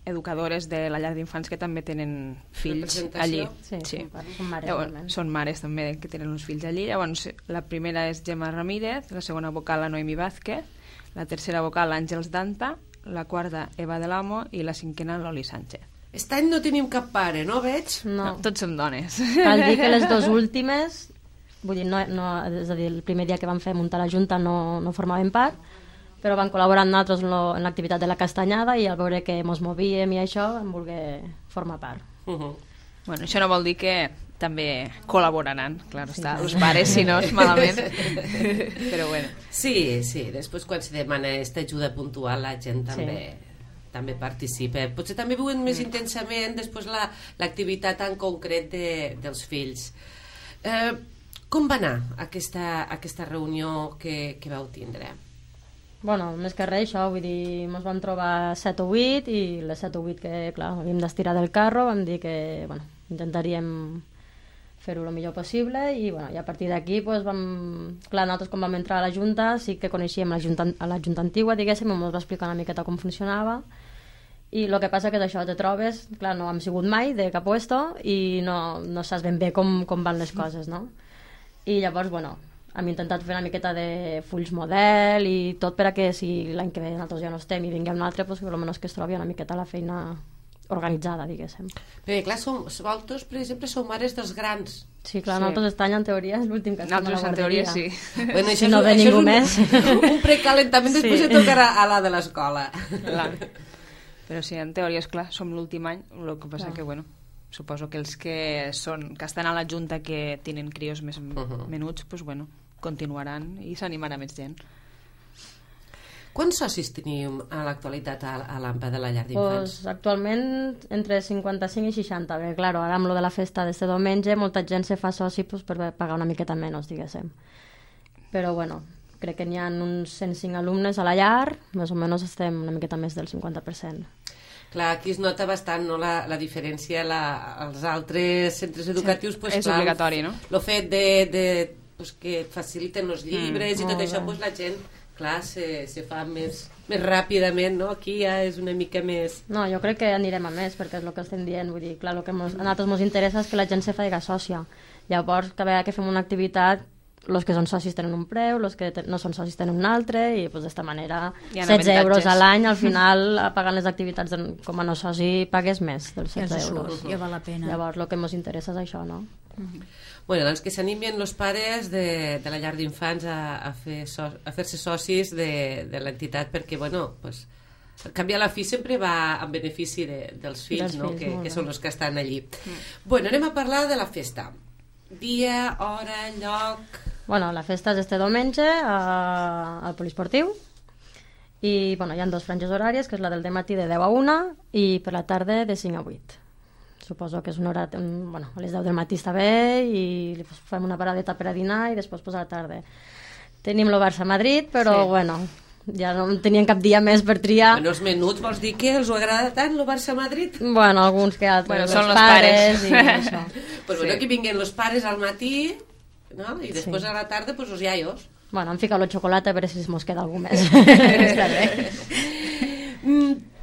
educadores de la llar d'infants que també tenen fills allí. Sí. Són mares, llavors, són mares també que tenen uns fills allí. Llavors, la primera és Gemma Ramírez, la segona vocal la Noemi Vázquez, la tercera vocal Àngels Danta, la quarta Eva de l'Amo i la cinquena Loli Sánchez. Aquest any no tenim cap pare, no veig? No, tots som dones. Cal dir que les dues últimes, vull dir, és a dir, el primer dia que vam fer muntar la Junta no formaven part, però van col·laborar amb nosaltres en l'activitat de la castanyada i al veure que ens movíem i això vam voler formar part. Bueno, això no vol dir que també col·laboraran, clar, està, els pares, si no, és malament. Però bueno. Sí, després quan se demana aquesta ajuda puntual la gent també participa. Potser també viuen més intensament després l'activitat en concret dels fills. Com va anar aquesta reunió que vau tindre? Bueno, més que res això, vull dir, ens vam trobar 7 o 8 i les 7 o 8 que, clar, havíem d'estirar del carro, vam dir que, bueno, intentaríem fer-ho el millor possible i, bueno, i a partir d'aquí, doncs, clar, nosaltres quan vam entrar a la Junta sí que coneixíem la Junta antigua, diguéssim, ens va explicar una miqueta com funcionava i el que passa que és això, te trobes, clar, no hem sigut mai de cap puesto i no saps ben bé com van les coses, no? I llavors, bueno, hem intentat fer una miqueta de fulls model i tot per a que si l'any que ve nosaltres ja no estem i vinguem un altre, doncs, almenys que es trobi una miqueta la feina organitzada, diguéssim. Perquè clar, vosaltres, per exemple, sou mares dels grans. Sí, clar, nosaltres aquest any en teoria és l'últim que estem a la guarderia. En teoria sí. Bueno, si no ve ningú més. Un precalentament, després se tocarà a la de l'escola. Però sí, en teoria, és clar, som l'últim any, el que passa que, bueno, suposo que els que estan a la Junta que tenen crios més menuts, doncs, bueno, continuaran i s'animarà més gent. Quants socis teniu a l'actualitat a l'AMPA de la llar d'infants? Pues, actualment entre 55 i 60, perquè claro, ara amb lo de la festa d'este diumenge molta gent se fa soci pues, per pagar una miqueta menys, diguéssim. Però bueno, crec que n'hi ha uns 105 alumnes a la llar, més o menys estem una miqueta més del 50%. Clar, aquí es nota bastant no, la diferència als altres centres educatius. Pues, és obligatori, no? El fet pues, que et faciliten els llibres i tot això, pues, la gent clar, se fa més ràpidament, no? Aquí ja és una mica més... No, jo crec que anirem a més, perquè és el que estem dient, vull dir, clar, el que a nosaltres ens interessa és que la gent se faci sòcia. Llavors, cada vegada que fem una activitat, els que són socis tenen un preu, els que no són socis tenen un altre, i pues, d'esta manera 16 euros a l'any, al final, pagant les activitats com a no soci, pagues més dels 16 euros. Ja val la pena. Llavors, el que ens interessa és això, no? Bueno, doncs que s'animin els pares de la llar d'infants a fer-se socis de l'entitat, perquè, bueno, pues, al cap i a la fi sempre va en benefici dels fills, no? que són els que estan allí. Bueno, anem a parlar de la festa. Dia, hora, lloc... Bueno, la festa és este diumenge al Poliesportiu i bueno, hi ha 2 franges horàries, que és la del dematí de 10 a 1 i per la tarda de 5 a 8. Suposo que és una hora... Bueno, a les 10 del matí està bé i fem una paradeta per a dinar i després pues, a la tarda. Tenim el Barça-Madrid, però sí. Bueno, ja no tenien cap dia més per triar. Bueno, els menuts, vols dir que els agrada tant el Barça-Madrid? Bueno, alguns que altres. Bueno, són els pares. I això. Pues bueno, que vinguin els pares al matí, no? I després a la tarda, pues els iaios. Bueno, hem ficat el xocolata a veure si mos queda algú més. Està bé.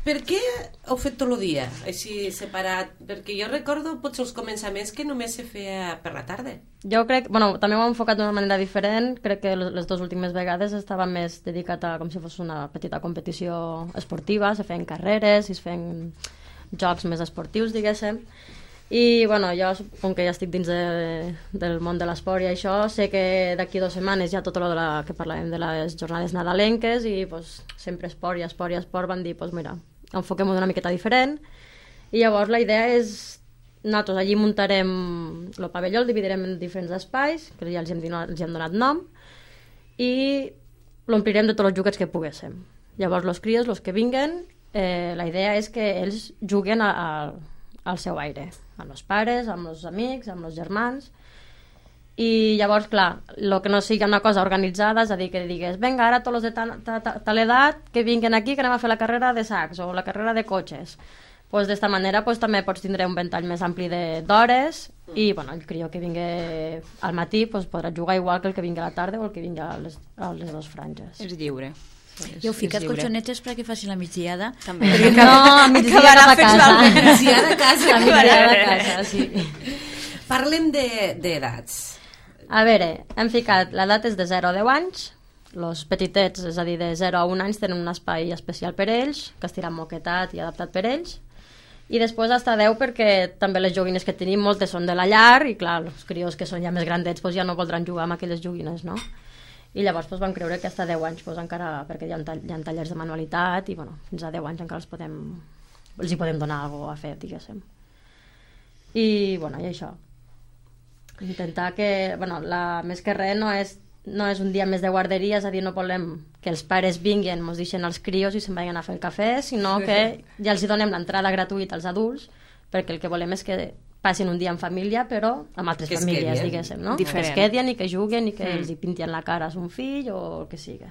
Per què heu fet tot el dia, així separat? Perquè jo recordo potser els començaments que només se feia per la tarda. Jo crec, bueno, també ho hem enfocat d'una manera diferent. Crec que les 2 últimes vegades estava més dedicat a com si fos una petita competició esportiva, se feien carreres, es feien jocs més esportius, diguéssim. I, bueno, jo, com que ja estic dins del món de l'esport i això, sé que d'aquí 2 setmanes ja tot el que parlàvem de les jornades nadalenques i pues, sempre esport i esport i esport van dir, pues mira, enfoquem-ho d'una miqueta diferent i llavors la idea és nosaltres allí muntarem el pavelló, el dividirem en diferents espais que ja els hem donat nom i l'omplirem de tots els joguets que poguéssim. Llavors els crios, els que vinguen, la idea és que ells juguen al seu aire, amb els pares, amb els amics, amb els germans i llavors, clar, el que no sigui una cosa organitzada, és a dir, que digues vinga, ara tots els de tal edat que vinguin aquí que anem a fer la carrera de sacs o la carrera de cotxes. Pues d'esta manera pues, també pots tindre un ventall més ampli d'hores i bueno, el crió que vingui al matí pues, podrà jugar igual que el que vingui a la tarda o el que vingui a les 2 franges. És lliure. I heu ficat colxonetes perquè faci la migdiada? També. No, a migdiada a casa. Migdiada a casa. A migdiada a casa, sí. Parlem d'edats. A veure, hem ficat l'edat és de 0 a 10 anys, els petitets, és a dir, de 0 a 1 anys tenen un espai especial per ells, que estirà moquetat i adaptat per ells, i després hasta 10 perquè també les joguines que tenim moltes són de la llar i clar, els crios que són ja més grandets pues, ja no voldran jugar amb aquelles joguines, no? I llavors pues, vam creure que hasta 10 anys pues, encara, perquè hi ha tallers de manualitat i bueno, fins a 10 anys encara els hi podem donar alguna cosa a fer, diguéssim. I bueno, i això. Intentar que, bueno, més que res no és un dia més de guarderia, és a dir, no volem que els pares vinguin, ens deixen els crios i se'n vagin a fer el cafè, sinó que ja els donem l'entrada gratuïta als adults, perquè el que volem és que passin un dia en família, però amb altres famílies, diguéssim, no? Diferent. Que es quedin i que juguen i que els hi pintin la cara a son fill o el que sigui.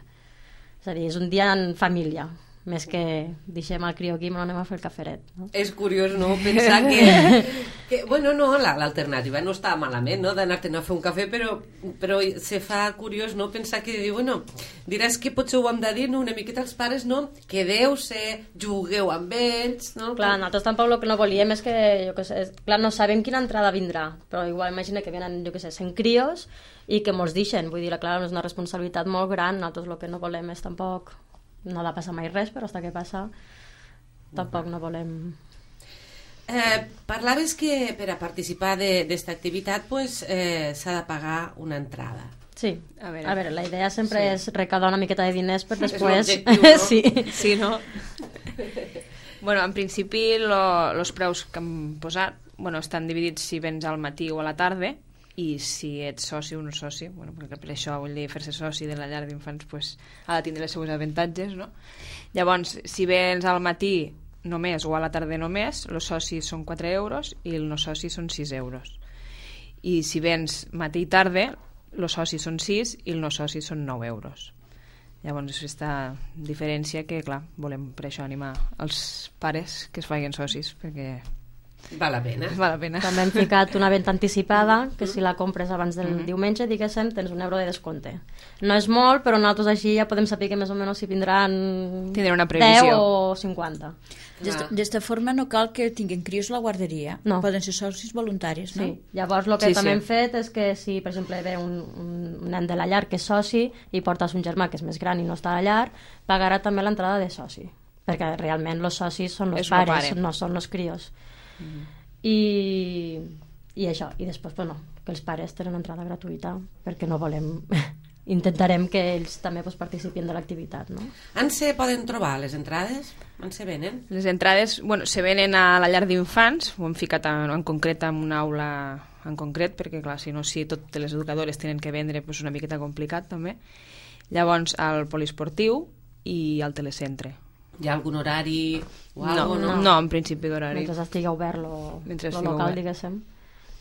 És a dir, és un dia en família, més que deixem el crió aquí i anem a fer el caferet. No? És curiós, no?, pensar que bueno, no, l'alternativa no està malament, no?, d'anar-te'n a fer un cafè, però se fa curiós, no?, pensar que, bueno, diràs que potser ho hem de dir, no?, una miqueta als pares, no?, quedeu-se, jugueu amb ells, no? Clar, nosaltres tampoc el que no volíem és que, jo què sé, clar, no sabem quina entrada vindrà, però igual imagina que venen, jo què sé, 100 crios i que mos deixen, vull dir, clar, és una responsabilitat molt gran, nosaltres el que no volem és tampoc... No ha de passar mai res, però hasta que passa tampoc no volem... Parlaves que per a participar d'esta activitat pues, s'ha de pagar una entrada. Sí, a veure la idea sempre és recaudar una miqueta de diners per després... És l'objectiu, no? Sí. Sí, no? Bueno, en principi els preus que hem posat estan dividits si vens al matí o a la tarda i si ets soci o no soci, bueno, perquè per això vull dir, fer-se soci de la llar d'infants pues, ha de tindre els seus avantatges, no? Llavors, si vens al matí només o a la tarda només, els socis són 4 euros i els no socis són 6 euros. I si vens matí i tarda, els socis són 6 i els no socis són 9 euros. Llavors, és aquesta diferència que, clar, volem per això animar els pares que es facin socis, perquè val la pena. Val la pena. També hem ficat una venda anticipada, que si la compres abans del diumenge, diguéssim, tens €1 de descompte. No és molt, però nosaltres així ja podem saber que més o menys si vindran tindrà una previsió. 10 o 50. D'esta forma no cal que tinguin crios a la guarderia. No. Poden ser socis voluntaris, no? Sí. Llavors el que també hem fet és que si, per exemple, ve un nen de la llar que és soci i portes un germà que és més gran i no està a la llar, pagarà també l'entrada de soci, perquè realment els socis són els pares, no són els crios. I això, i després bueno, que els pares tenen entrada gratuïta perquè no volem intentarem que ells també participin de l'activitat, no? On se poden trobar les entrades? On se venen? Les entrades, bueno, se venen a la llar d'infants, ho hem ficat en concret en una aula en concret, perquè clar, si no, si totes les educadores tenen que vendre, pues una miqueta complicat també. Llavors al poliesportiu i al telecentre. Hi ha algun horari o alguna cosa? No, en principi d'horari. Mentre estigui obert lo local, diguéssim,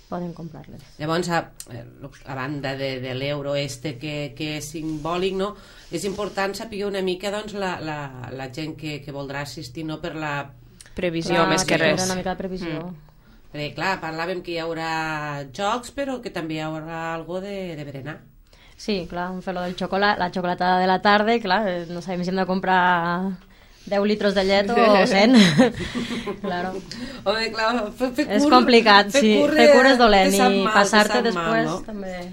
poden comprar-les. Llavors, a banda de l'euro que és simbòlic, no? És important saber una mica doncs, la gent que voldrà assistir, no? Per la previsió, més que res. Una mica de previsió. Perquè, clar, parlàvem que hi haurà jocs, però que també hi haurà algo de berenar. Sí, clar, vam fer lo del xocolat, la xocolatada de la tarda, i clar, no sabem si hem de comprar 10 litros de llet o 100. Claro. Home, clar, és complicat, sí. Fer cura és dolent i passar-te després no? també.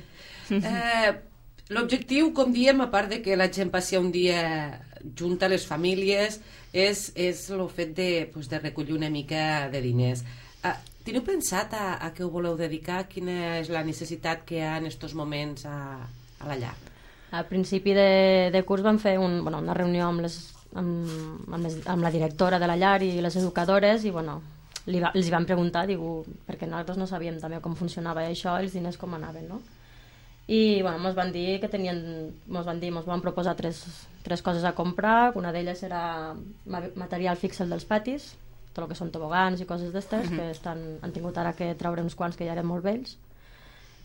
L'objectiu, com diem, a part de que la gent passi un dia junta les famílies, és el fet de recollir una mica de diners. Teniu pensat a què ho voleu dedicar? Quina és la necessitat que hi ha en aquests moments a la llar? Al principi de curs vam fer una reunió amb la directora de la llar i les educadores i els van preguntar, perquè nosaltres no sabíem també com funcionava això, els diners com anaven, no? I ens van dir que ens van proposar tres coses a comprar. Una d'elles era material fix dels patis, tot el que són tobogans i coses d'estes, que han tingut ara que treure uns quants que ja eren molt vells.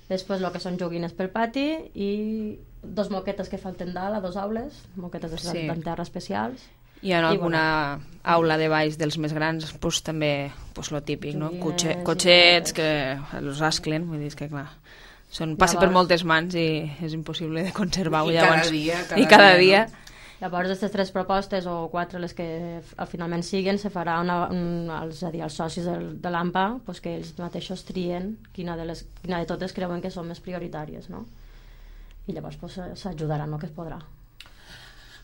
Després el que són joguines pel pati i 2 moquetes que falten dalt a 2 aules, moquetes de terra especials. I en alguna aula de baix dels més grans també lo típic, no? Cotxets que els asclen, vull dir que clar, passa per moltes mans i és impossible de conservar-ho llavors. I cada dia. Llavors, aquestes 3 propostes o 4, les que finalment siguen, se farà és a dir, els socis de l'AMPA que ells mateixos trien quina de totes creuen que són més prioritàries, no? I llavors s'ajudaran el que es podrà.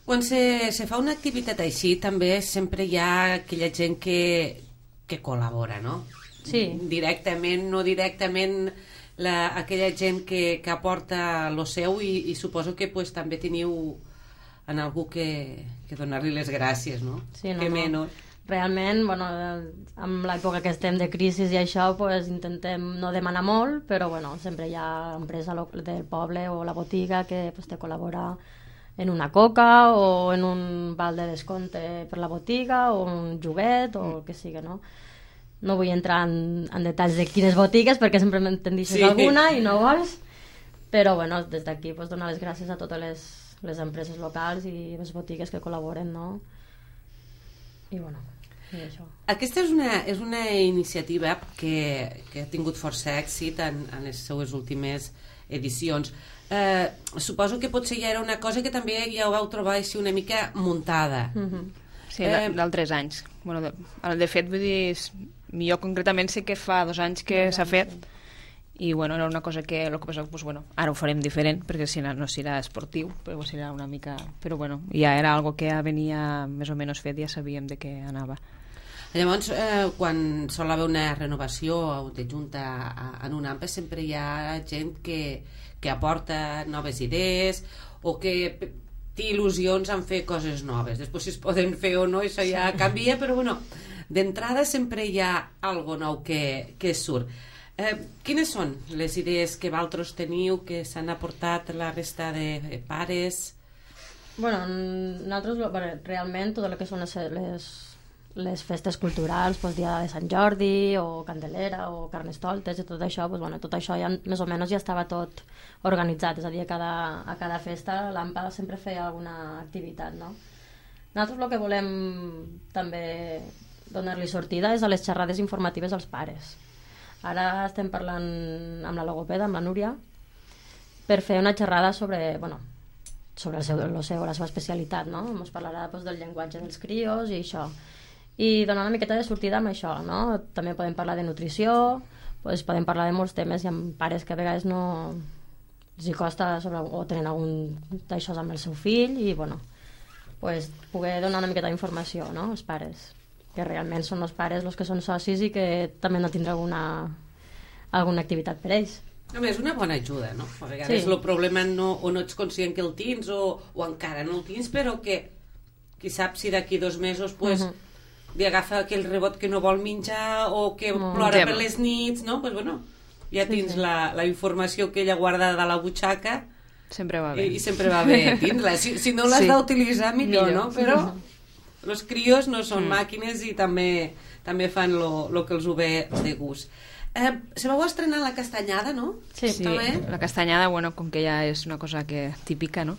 Quan se fa una activitat així, també sempre hi ha aquella gent que col·labora, no? Sí. Directament, no directament, aquella gent que aporta lo seu i suposo que també teniu en algú que donar-li les gràcies, no? Sí, no. Realment, amb l'època que estem de crisi i això, intentem no demanar molt, però sempre hi ha empresa del poble o la botiga que te col·labora en una coca o en un val de descompte per la botiga o un joguet o el que sigui, no? No vull entrar en detalls de quines botigues perquè sempre me'n deixes alguna i no vols, però des d'aquí donar les gràcies a totes les empreses locals i les botigues que col·laboren, no? I i això. Aquesta és una iniciativa que ha tingut força èxit en les seues últimes edicions. Suposo que potser ja era una cosa que també ja ho vau trobar així una mica muntada. Sí, d'altres anys. De fet, vull dir, jo concretament sé que fa 2 anys que s'ha fet i era una cosa que el que passa ara ho farem diferent perquè si no serà esportiu, però serà una mica, però ja era algo que ja venia més o menys fet, ja sabíem de què anava. Llavors, quan sol haver una renovació de junta en un AMPA sempre hi ha gent que aporta noves idees o que té il·lusions en fer coses noves. Després si es poden fer o no, això ja canvia, però d'entrada sempre hi ha algo nou que surt. Quines són les idees que vosaltres teniu, que s'han aportat la resta de pares? Bueno, nosaltres realment tot el que són les festes culturals, doncs dia de Sant Jordi o Candelera o Carnestoltes i tot això, doncs, bueno, tot això ja més o menys ja estava tot organitzat, és a dir, a cada festa l'AMPA sempre feia alguna activitat, no? Nosaltres el que volem també donar-li sortida és a les xerrades informatives als pares. Ara estem parlant amb la logopeda, amb la Núria, per fer una xerrada sobre, bueno, sobre la seva especialitat, no? Ens parlarà doncs, del llenguatge dels crios i això. I donar una miqueta de sortida amb això, no? També podem parlar de nutrició, doncs podem parlar de molts temes. Hi ha pares que a vegades no els hi costa o tenen algun d'això amb el seu fill i, bueno, pues, poder donar una miqueta d'informació, no? Als pares, que realment són els pares els que són socis i que també no tindrà alguna activitat per ells. Home, és una bona ajuda, no? A vegades el problema o no ets conscient que el tens o encara no el tens, però que qui sap si d'aquí 2 mesos pues, li agafa aquell rebot que no vol menjar o que plora per les nits, no? Pues, bueno, ja tens la informació que ella guarda de la butxaca. Sempre va bé. I sempre va bé tindre-la. Si no l'has d'utilitzar, millor, no? Però els crios no són màquines i també fan el que els ho ve de gust. Se vau estrenar la castanyada, no? Sí, la castanyada, bueno, com que ja és una cosa típica, no?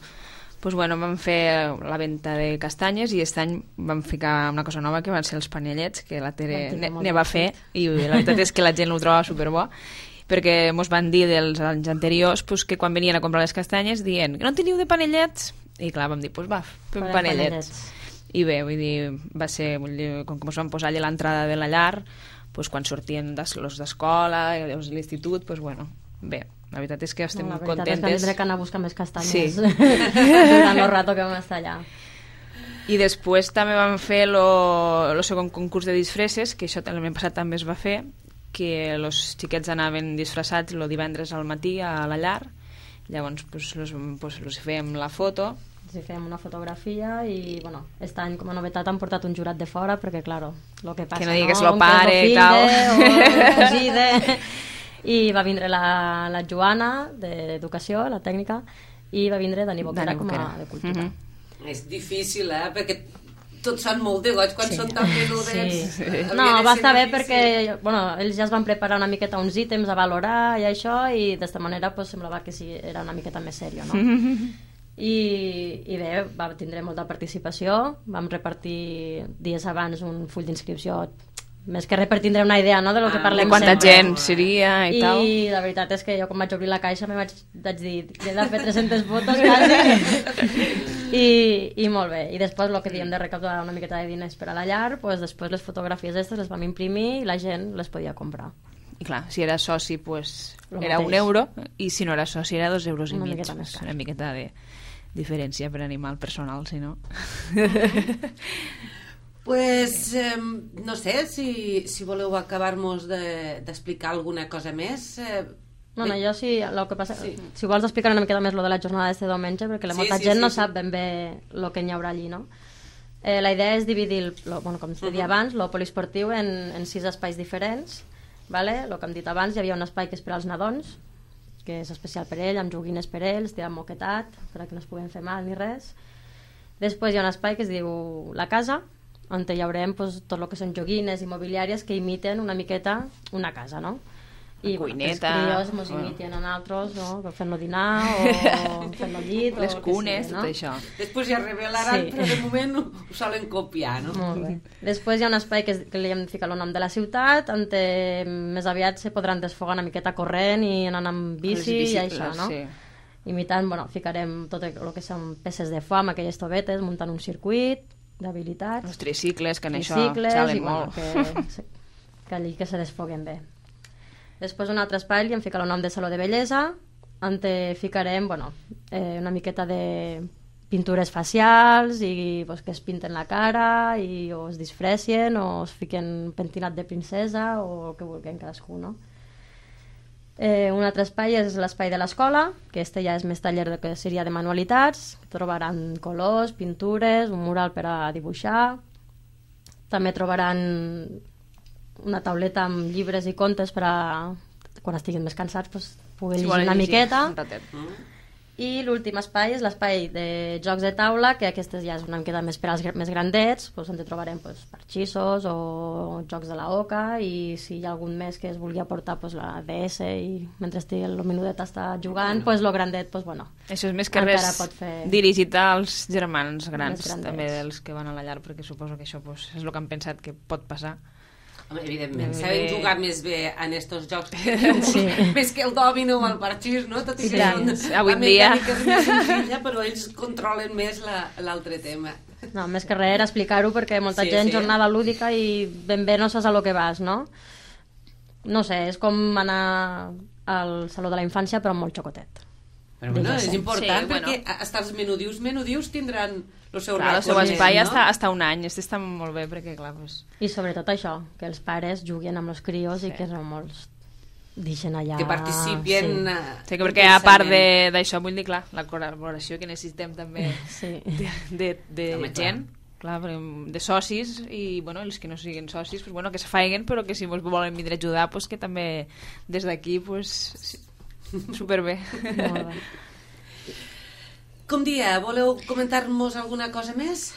Pues bueno, vam fer la venta de castanyes i aquest any vam ficar una cosa nova que van ser els panellets, que la Tere ne va fer i la veritat és que la gent ho troba superbo, perquè mos van dir dels anys anteriors pues, que quan venien a comprar les castanyes dient que no teniu de panellets, i clar, vam dir, pues va, fem panellets. I bé, vull dir, va ser, com que ens vam posar allà a l'entrada de la llar, pues, quan sortien los d'escola, els de l'institut, pues bueno, bé, la veritat és que estem contentes. La veritat és que tindré que anar a buscar més castanyes durant el rato que vam estar allà. I després també vam fer el segon concurs de disfresses, que això l'any passat també es va fer, que els xiquets anaven disfressats el divendres al matí a la llar, llavors els fèiem la foto. Sí, fèiem una fotografia i, bueno, aquest any com a novetat han portat un jurat de fora perquè, claro, lo que passa, que no digues lo pare i tal. I va vindre la Joana, d'Educació, la tècnica, i va vindre Dani Boquera com a de Cultura. És difícil, perquè tots són molt de goig quan són tan menudets. Sí. No, va estar bé perquè ells ja es van preparar una miqueta uns ítems a valorar i això, i d'esta manera semblava que sí, era una miqueta més sèrio, no? I bé, va tindre molta participació, vam repartir dies abans un full d'inscripció, més que res per tindre una idea, no?, de lo que parlem de quanta sempre. Gent seria i tal. I la veritat és que jo quan vaig obrir la caixa vaig dir, he de fer 300 fotos quasi. I molt bé, i després el que diem de recaptar una miqueta de diners per a la llar, després les fotografies aquestes les vam imprimir i la gent les podia comprar. I clar, si era soci era €1 i si no era soci era €2,5. Una miqueta de diferència per animar el personal, si no. Pues, no sé, si voleu acabar-nos d'explicar alguna cosa més. Bueno, jo sí, el que passa, si vols explicar una miqueta més lo de la jornada d'este diumenge, perquè molta gent no sap ben bé el que hi haurà allí, no? La idea és dividir, com es deia abans, el poliesportiu en 6 espais diferents, vale? El que hem dit abans, hi havia un espai que és per als nadons, que és especial per ell, amb joguines per ells, tirant moquetat, perquè no es puguin fer mal ni res. Després hi ha un espai que es diu la casa, on hi haurem tot el que són joguines immobiliàries que imiten una miqueta una casa, no? I cuineta, els crios mos imiten a nosaltres, no? Fent-lo dinar o fent-lo llit, les cunes, tot això. Després ja revelaran, però de moment ho solen copiar, no? Molt bé. Després hi ha un espai que li hem ficat el nom de la ciutat, on més aviat se podran desfogar una miqueta corrent i anant amb bici i això, no? Imitant, ficarem tot el que són peces de foam, aquelles tovetes, muntant un circuit d'habilitats. Els tricicles, que en això xalen molt. Que allí que se desfoguen bé. Després un altre espai li hem ficat el nom de Saló de Bellesa, on ficarem una miqueta de pintures facials i que es pinten la cara o es disfressin o es fiquen pentinat de princesa o el que vulguin cadascú, no? Un altre espai és l'espai de l'escola, que ja és més taller que seria de manualitats, trobaran colors, pintures, un mural per a dibuixar, també trobaran una tauleta amb llibres i contes per a quan estiguin més cansats, pugui llegir una miqueta. Un ratet. I l'últim espai és l'espai de jocs de taula, que aquestes ja és una miqueta més per als més grandets, on trobarem parxissos o jocs de la oca, i si hi ha algun més que es vulgui aportar la DS i mentre estigui el menudet està jugant, el grandet, això és més que res fer... dirigit als germans grans, també dels que van a la llar, perquè suposo que això és el que han pensat que pot passar. Home, evidentment, sabem jugar més bé en estos jocs més que el dòmino o el parxís, no? Tot i que avui en dia és més senzilla, però ells controlen més l'altre tema. No, més que res era explicar-ho perquè molta gent jornada lúdica i ben bé no saps a lo que vas, no? No sé, és com anar al Saló de la Infància però amb molt xocotet. Però bueno, és important perquè hasta els menudius tindran el seu rato. El seu espai hasta un any, està molt bé perquè clar... I sobretot això, que els pares juguin amb els crios i que no molts deixen allà... Que participin... Sí, perquè a part d'això, vull dir, clar, la col·laboració que necessitem també de gent, clar, de socis, i els que no siguin socis, que se faiguen, però que si volen vindre a ajudar, que també des d'aquí, superbé. Molt bé. Com dia, voleu comentar-nos alguna cosa més?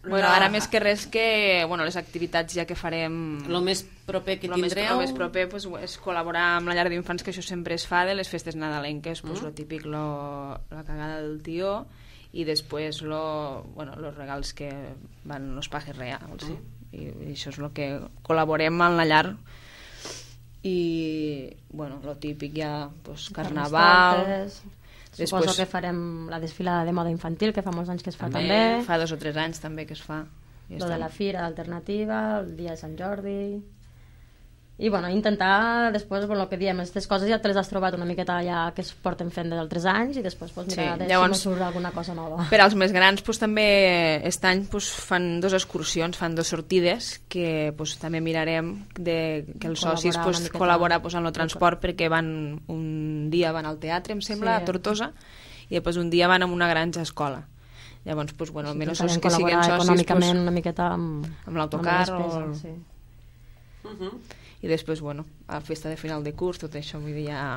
Ara més que res que les activitats ja que farem... El més proper que tindreu... El més proper és col·laborar amb la llar d'infants, que això sempre es fa de les festes nadalenques, lo típic, la cagada del tió, i després los regals que van los pajes reals. I això és el que col·laborem amb la llar. I lo típic ja carnaval. Suposo que farem la desfilada de moda infantil, que fa molts anys que es fa també. Fa 2 o 3 anys també que es fa. Lo de la fira alternativa, el dia de Sant Jordi... I intentar després, el que diem, aquestes coses ja te les has trobat una miqueta ja que es porten fent d'altres anys, i després mirar si no surt alguna cosa nova. Per als més grans també aquest any fan 2 excursions, fan 2 sortides que també mirarem que els socis col·laborar en el transport, perquè un dia van al teatre, em sembla, a Tortosa, i després un dia van a una granja escola. Llavors, almenys els que siguin socis econòmicament una miqueta amb l'autocar i després, a la festa de final de curs, tot això, vull dir, ja...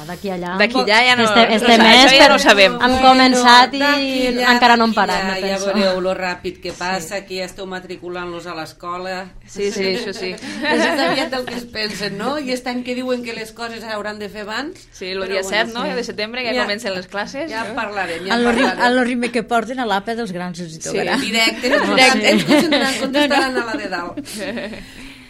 D'aquí allà... D'aquí allà ja no... Este mes ja no ho sabem. Hem començat i encara no hem parat. Ja veureu lo ràpid que passa, que ja esteu matriculant-los a l'escola. Sí, això sí. És aviat el que es pensen, no? I aquest any que diuen que les coses s'hauran de fer abans... Sí, el dia 7, no? De setembre, que comencen les classes. Ja parlarem. El ritme que porten a l'APA dels grans ens hi tocarà. Sí, directe. Ens contestaran a la de dalt.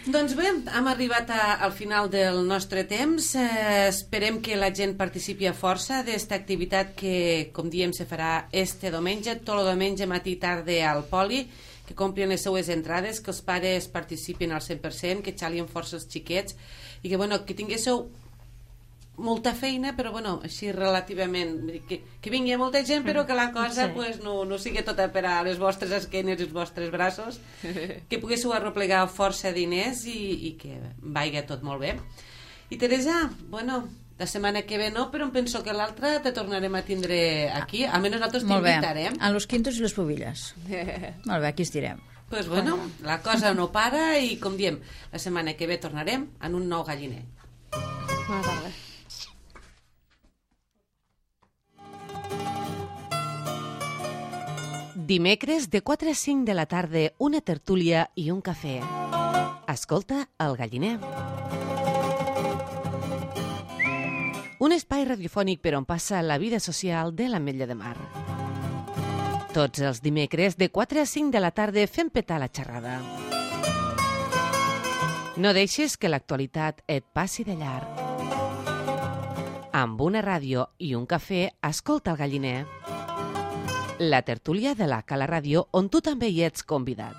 Doncs bé, hem arribat al final del nostre temps. Esperem que la gent participi a força d'esta activitat que, com diem, se farà este diumenge, tot el diumenge, matí i tarda al Poli, que comprin les seues entrades, que els pares participin al 100%, que xalien força els xiquets i que tinguéssiu molta feina, però així relativament, que vingui molta gent però que la cosa no sigui tota per a les vostres esquenes i els vostres braços, que poguéssiu arreplegar força diners i que vagi tot molt bé. I Teresa, la setmana que ve no, però em penso que l'altra te tornarem a tindre aquí, almenys nosaltres t'invitarem. A los quintos i les pubilles. Molt bé, aquí estirem. Pues la cosa no para i, com diem, la setmana que ve tornarem en un nou galliner. Bona tarda. Dimecres de 4 a 5 de la tarda, una tertúlia i un cafè. Escolta el galliner. Un espai radiofònic per on passa la vida social de l'Ametlla de Mar. Tots els dimecres de 4 a 5 de la tarda fem petar la xerrada. No deixes que l'actualitat et passi de llarg. Amb una ràdio i un cafè, escolta el galliner. La tertúlia de la Cala Ràdio, on tu també hi ets convidat.